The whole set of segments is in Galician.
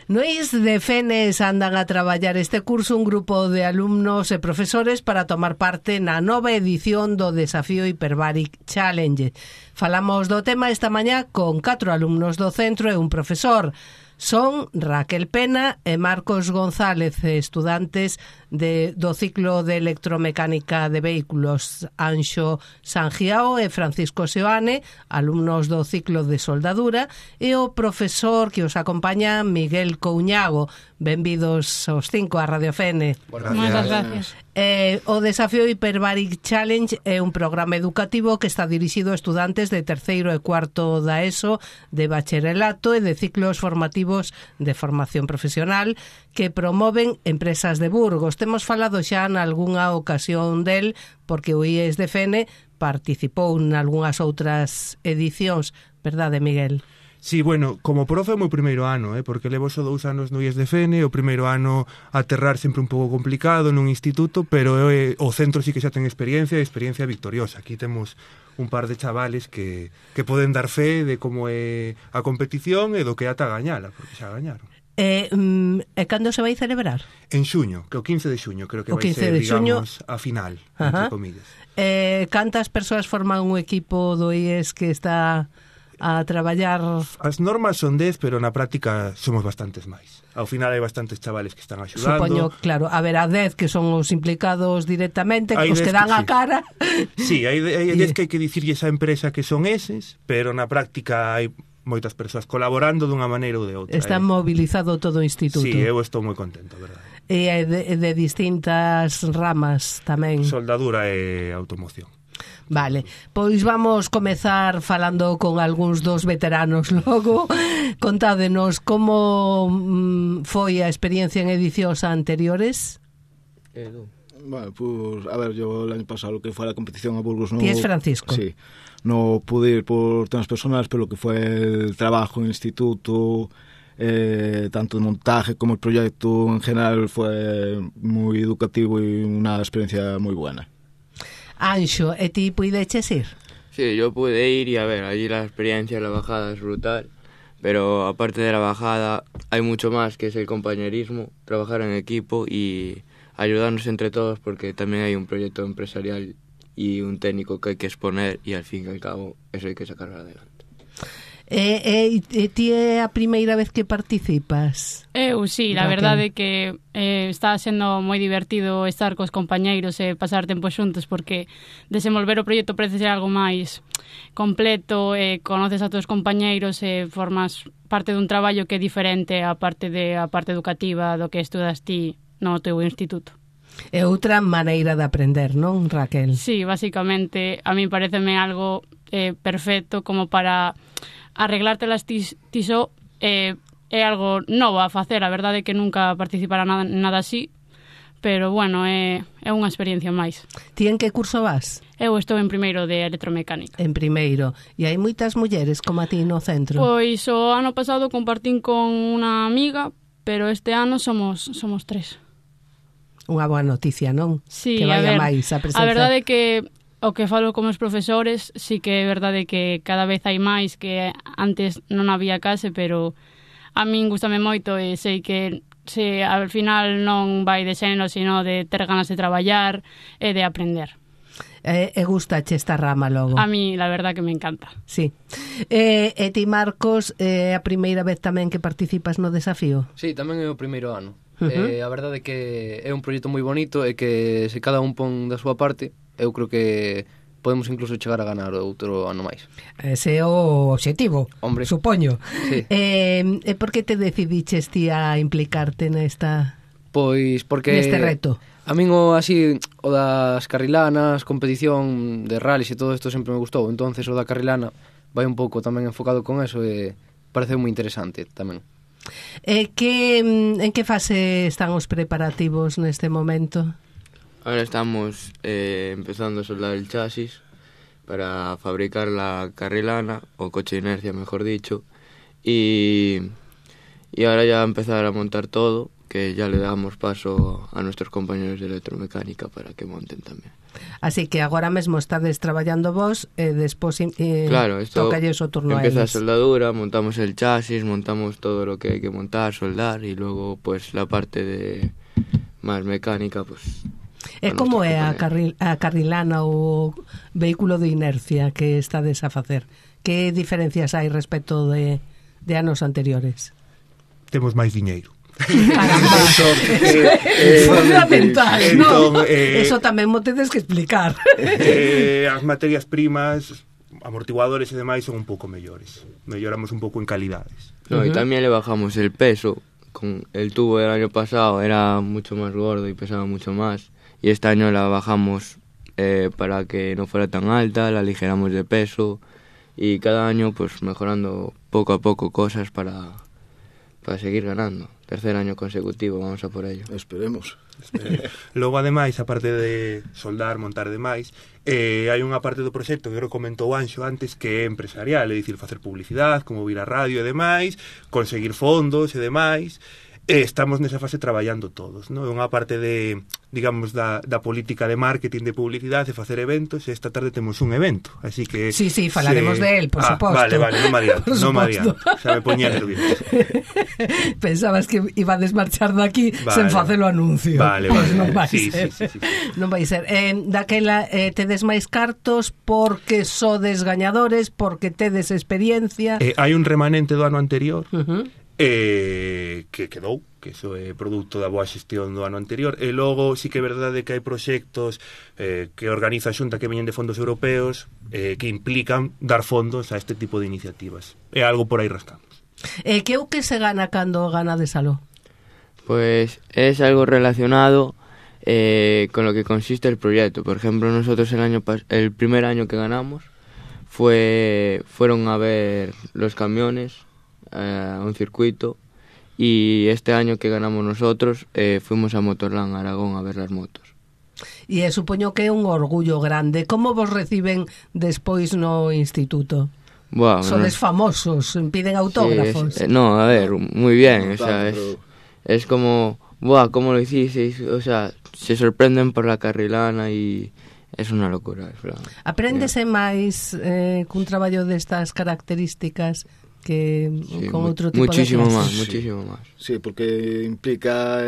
No ISDFENES andan a traballar este curso un grupo de alumnos e profesores para tomar parte na nova edición do Desafío Hyperbaric Challenge. Falamos do tema esta mañá con 4 alumnos do centro e un profesor. Son Raquel Pena e Marcos González, estudantes do ciclo de electromecánica de vehículos. Anxo Sangiao e Francisco Seoane, alumnos do ciclo de soldadura, e o profesor que os acompaña, Miguel Couñago. Benvidos os 5 a Radio Fene. Moitas gracias. O Desafío Hyperbaric Challenge é un programa educativo que está dirixido a estudantes de terceiro e cuarto da ESO, de bacharelato e de ciclos formativos de formación profesional que promoven empresas de Burgos. Temos falado xa en algunha ocasión del, porque o ISDFN participou en algunhas outras edicións, verdade, Miguel? Sí, bueno, como profe é o meu primeiro ano, porque levo só 2 anos no ISDFN, o primeiro ano aterrar sempre un pouco complicado nun instituto, pero o centro sí que xa ten experiencia victoriosa. Aquí temos un par de chavales que poden dar fe de como é a competición e do que ata gañala, porque xa gañaron. E cando se vai celebrar? En xuño, que o 15 de xuño, creo que vai ser, digamos, a final, entre comillas. Cantas persoas forman un equipo do IES que está a traballar? As normas son 10, pero na práctica somos bastantes máis. Ao final hai bastantes chavales que están axudando. Supoño, claro, a ver, a 10 que son os implicados directamente, os que dan a cara. Sí, hai 10 que hai que dicirlle esa empresa que son eses, pero na práctica hai moitas persoas colaborando dunha maneira ou de outra. Está mobilizado todo o instituto. Sí, eu estou moi contento, verdade. E de distintas ramas tamén. Soldadura e automoción. Vale, pois vamos comezar falando con algúns dos veteranos logo. Contádenos como foi a experiencia en edicións anteriores. Bueno, pues, a ver, yo el año pasado lo que fue la competición a Burgos no... ¿Ti es Francisco? Sí, no pude ir por temas personales, pero lo que fue el trabajo en el instituto, tanto el montaje como el proyecto en general fue muy educativo y una experiencia muy buena. Anxo, e ti puideches ir? Sí, yo pude ir y a ver, allí la experiencia, la bajada es brutal, pero aparte de la bajada hay mucho más, que es el compañerismo, trabajar en equipo y ayudarnos entre todos, porque también hay un proyecto empresarial y un técnico que hay que exponer y al fin y al cabo eso hay que sacarlo adelante. Ti é a primeira vez que participas? Eu, sí, la verdade é que está sendo moi divertido estar cos compañeiros e pasar tempo xuntos, porque desenvolver o proxecto parece ser algo máis completo, conoces a todos os compañeiros e formas parte dun traballo que é diferente a parte educativa do que estudas ti no teu instituto. É outra maneira de aprender, non, Raquel? Sí, basicamente, a mí pareceme algo perfecto como para arreglártelas ti só. É algo novo a facer, a verdade é que nunca participara nada así, pero bueno, é unha experiencia máis. Ti en que curso vas? Eu estou en primeiro de electromecánica. En primeiro. E hai moitas mulleres como a ti no centro? Pois o ano pasado compartín con unha amiga, pero este ano somos 3. Unha boa noticia, non? Sí, que vaya máis a presenza. A verdade é que o que falo con os profesores, sí que é verdade que cada vez hai máis, que antes non había case, pero a min gustame moito e sei que se ao final non vai de xénero, sino de ter ganas de traballar e de aprender. E gustache esta rama logo? A mí, la verdad, que me encanta. Sí. E ti, Marcos, é a primeira vez tamén que participas no desafío? Sí, tamén é o primeiro ano. A verdade é que é un proxecto moi bonito e que se cada un pon da súa parte, eu creo que podemos incluso chegar a ganar outro ano máis. Ese é o obxectivo, hombre, supoño. Sí. E por que te decidiches ti a implicarte nesta... Pois porque... neste reto? A min o das carrilanas, competición de rallies e todo isto sempre me gustou, entonces o da carrilana vai un pouco tamén enfocado con eso e parece moi interesante tamén. En que fase están os preparativos neste momento? Ahora estamos empezando a soldar el chasis para fabricar la carrilana, o coche de inercia mejor dicho, y ahora ya empezar a montar todo, que ya le damos paso a nuestros compañeros de electromecánica para que monten tamén. Así que agora mesmo estades traballando vos e despois claro, esto tocalles o turno a empieza a eles. soldadura, montamos el chasis, montamos todo lo que hay que montar, soldar, y luego pues la parte de más mecánica, pues... E como é a carrilana ou vehículo de inercia que estades a facer? Que diferencias hai respecto de anos anteriores? Temos máis diñeiro. Caramba, fundamental, non? Eso tamén mo tedes que explicar. As materias primas, amortiguadores e demais son un pouco mellores. Melloramos un pouco en calidades. No, y también le bajamos el peso. Con el tubo del año pasado era mucho más gordo y pesaba mucho más. Y este año la bajamos para que no fuera tan alta, la aligeramos de peso. Y cada año pues mejorando poco a poco cosas para seguir ganando. Tercer año consecutivo, vamos a por ello. Esperemos. Logo, ademais, aparte de soldar, montar e demais, hai unha parte do proxecto que creo que comentou Anxo antes que é empresarial, é dicir, facer publicidade, como vir a radio e demais, conseguir fondos e demais. Estamos nesa fase traballando todos, non? É unha parte de, digamos, da política de marketing, de publicidade, de facer eventos, e esta tarde temos un evento, así que... Sí, falaremos de él, por suposto. Vale, non me adianto, xa me poñía nervioso. Pensabas que iba a desmarchar daqui sen facer o anuncio. Vale. Non vai ser. Sí. Non vai ser. Daquela tedes máis cartos porque sodes gañadores, porque tedes experiencia. Hai un remanente do ano anterior, que quedou, que iso é produto da boa xestión do ano anterior, e logo sí que é verdade que hai proxectos que organiza a Xunta que veñen de fondos europeos que implican dar fondos a este tipo de iniciativas. É algo por aí rascamos. Que o que se gana cando ganades aló? Pues es algo relacionado con lo que consiste el proyecto. Por ejemplo, nosotros el primer año que ganamos fueron a ver los camiones a un circuito, y este año que ganamos nosotros fuimos a Motorland, Aragón, a ver las motos. E supoño que é un orgullo grande. Como vos reciben despois no instituto? Wow, sodes famosos, piden autógrafos. Sí, no, a ver, muy bien, o sea, es como, ¿cómo lo hicisteis? O sea, se sorprenden por la carrilana y es una locura. Apréndese máis cun traballo destas características que sí, con outro tipo muchísimo de más, muchísimo más. Sí, porque implica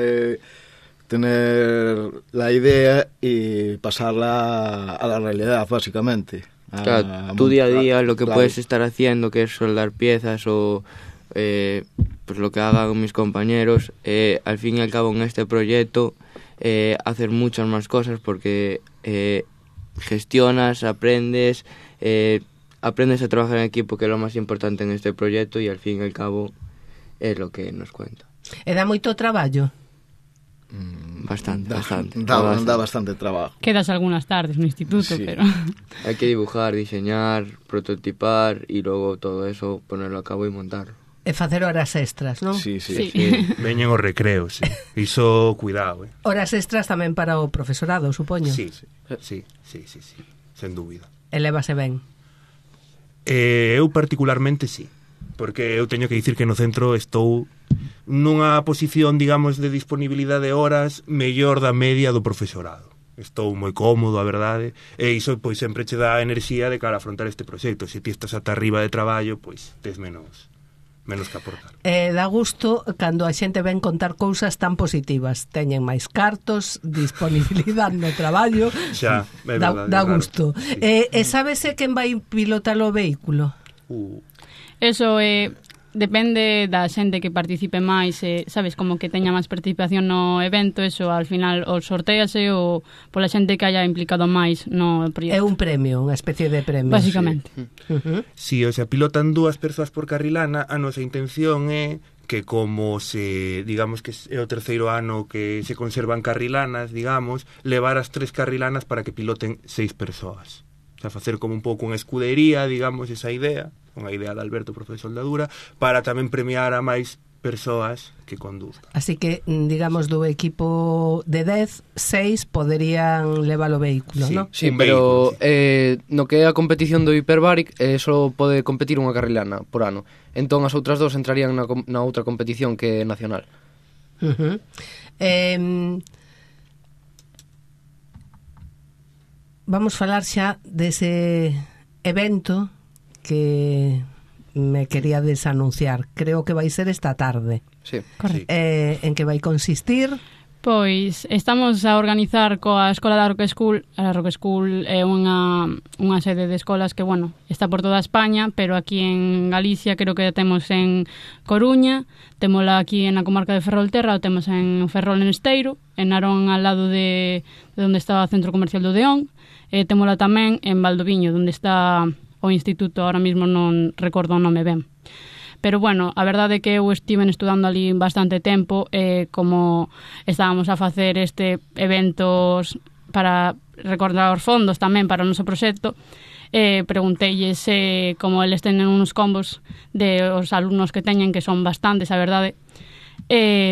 tener la idea y pasarla a la realidad, básicamente. Claro, tu día a día, lo que puedes estar haciendo, que es soldar piezas o pues lo que hagan mis compañeros, al fin y al cabo en este proyecto hacer muchas más cosas porque gestionas, aprendes a trabajar en equipo, que es lo más importante en este proyecto, y al fin y al cabo es lo que nos cuenta. E dá moito traballo? Bastante. Da bastante trabajo. Quedas algunas tardes no instituto, sí. Pero... Hay que dibujar, diseñar, prototipar y luego todo eso ponerlo a cabo y montarlo. E facer horas extras, non? Sí. Veñen os recreos, sí. Iso, cuidado, Horas extras tamén para o profesorado, supoño. Sí, sen dúbida. E lévase ben. Eu particularmente sí, porque eu teño que dicir que no centro estou nunha posición, digamos, de disponibilidade de horas mellor da media do profesorado. Estou moi cómodo, a verdade, e iso pois sempre che dá enerxía de cara a afrontar este proxecto. Se ti estás ata arriba de traballo, pois tes menos que aportar. Dá gusto cando a xente ven contar cousas tan positivas. Teñen máis cartos, disponibilidade no traballo. Xa, é verdade. Dá gusto. Sí. E sábese quen vai pilotar o vehículo? Eso depende da xente que participe máis, sabes, como que teña máis participación no evento, eso al final o sortease ou pola xente que haya implicado máis no proxecto. É un premio, unha especie de premio. Básicamente. Sí, o sea, pilotan 2 persoas por carrilana. A nosa intención é que como digamos que é o terceiro ano que se conservan carrilanas, digamos, levar as 3 carrilanas para que piloten 6 persoas. O sea, facer como un pouco unha escudería, digamos, esa idea, unha idea de Alberto, profe de soldadura, para tamén premiar a máis persoas que conduzcan. Así que, digamos, do equipo de 10, 6 poderían levar o vehículo, sí, ¿no? Sí, pero no que é a competición do Hyperbaric só pode competir unha carrilana por ano. Entón as outras 2 entrarían na outra competición que é nacional. Vamos falar xa dese evento que me quería desanunciar. Creo que vai ser esta tarde. Sí. Correcto. En que vai consistir? Pois estamos a organizar coa Escola da Rock School. A Rock School é unha sede de escolas que, bueno, está por toda España, pero aquí en Galicia creo que temos en Coruña, témola aquí na comarca de Ferrolterra, o temos en Ferrol en Esteiro, en Narón al lado de onde está o Centro Comercial do Deón, e témola tamén en Valdoviño, onde está o instituto, ahora mismo non recordo o nome ben. Pero, bueno, a verdade é que eu estive estudando ali bastante tempo, como estábamos a facer este eventos para recordar os fondos tamén para o noso proxecto, pregunteilles como eles teñen uns combos de os alumnos que teñen, que son bastantes, a verdade,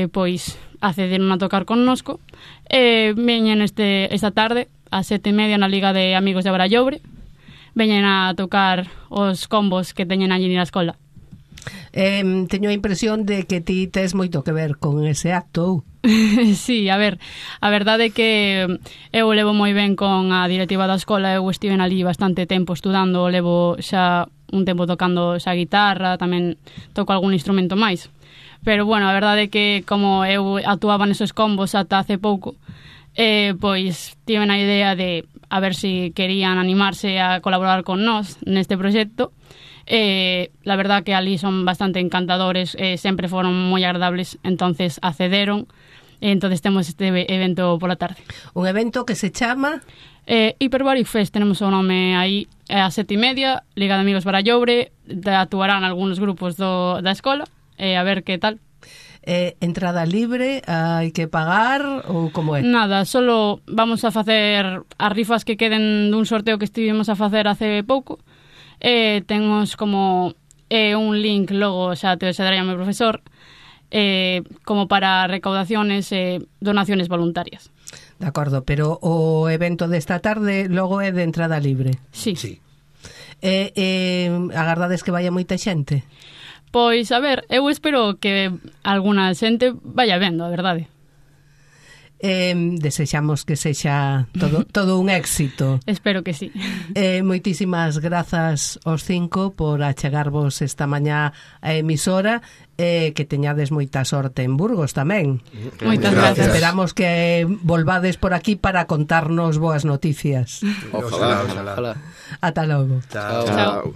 pois accederon a tocar connosco, veñen esta tarde a 7:30 na Liga de Amigos de Barallobre, veñen a tocar os combos que teñen allí na escola. Teño a impresión de que ti tes moito que ver con ese acto. Sí, a ver, a verdade é que eu levo moi ben con a directiva da escola, eu estive ali bastante tempo estudando, levo xa un tempo tocando xa guitarra, tamén toco algún instrumento máis. Pero, bueno, a verdade é que como eu actuaba nesos combos ata hace pouco, pois tiven a idea de a ver se querían animarse a colaborar con nós neste proxecto. La verdad que ali son bastante encantadores, sempre foron moi agradables, entonces accederon, entonces temos este evento pola tarde. Un evento que se chama Hyperbaric Fest, tenemos o nome aí, a 7:30, Liga de Amigos Barallobre, actuarán algúns grupos da escola, a ver que tal. Entrada libre, hai que pagar ou como é? Nada, solo vamos a facer as rifas que queden dun sorteo que estivemos a facer hace pouco. Temos como un link logo, xa te darei a meu profesor, como para recaudaciones e donaciones voluntarias. De acordo, pero o evento desta tarde logo é de entrada libre. Sí. Agardades que vaya moita xente? Pois, a ver, eu espero que alguna xente vaya vendo, a verdade. Desexamos que sexa todo un éxito. Espero que sí. Moitísimas grazas aos 5 por achegarvos esta mañá a emisora, que teñades moita sorte en Burgos tamén. Moitas gracias. Esperamos que volvades por aquí para contarnos boas noticias. Ojalá. Ata logo. Chao. Chao.